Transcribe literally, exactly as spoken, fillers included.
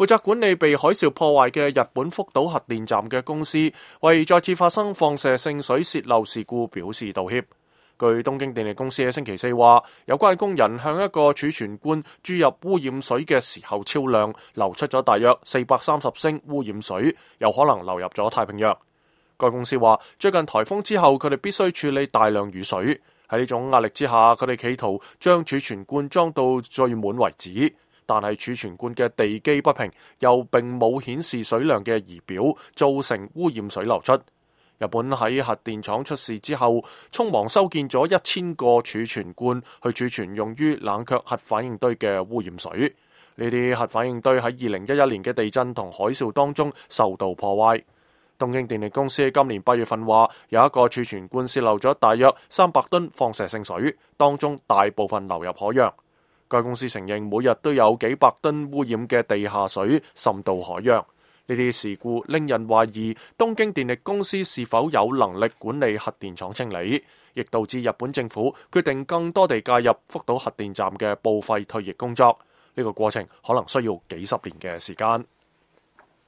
負責管理被海嘯破壞嘅日本福島核電站嘅公司為再次發生放射性水洩漏事故表示道歉。據東京電力公司喺星期四話，有關工人向一個儲存罐注入污染水嘅時候超量，流出咗大約四百三十升污染水，有可能流入咗太平洋。該公司話，最近颱風之後，佢哋必須處理大量雨水，喺呢種壓力之下，佢哋企圖將儲存罐裝到最滿為止，但係儲存罐嘅地基不平，又並冇顯示水量嘅儀表，造成污染水流出。日本喺核電廠出事之後，匆忙修建咗一千個儲存罐去儲存用於冷卻核反應堆嘅污染水。呢啲核反應堆喺二零一一年嘅地震同海嘯當中受到破壞。東京電力公司喺今年八月份話，有一個儲存罐洩漏咗大約三百噸放射性水，當中大部分流入海洋。該公司承認每日都有幾百噸污染嘅地下水滲到海洋。呢啲事故令人懷疑東京電力公司是否有能力管理核電廠清理，亦導致日本政府決定更多地介入福島核電站嘅報廢退役工作。呢個過程可能需要幾十年嘅時間。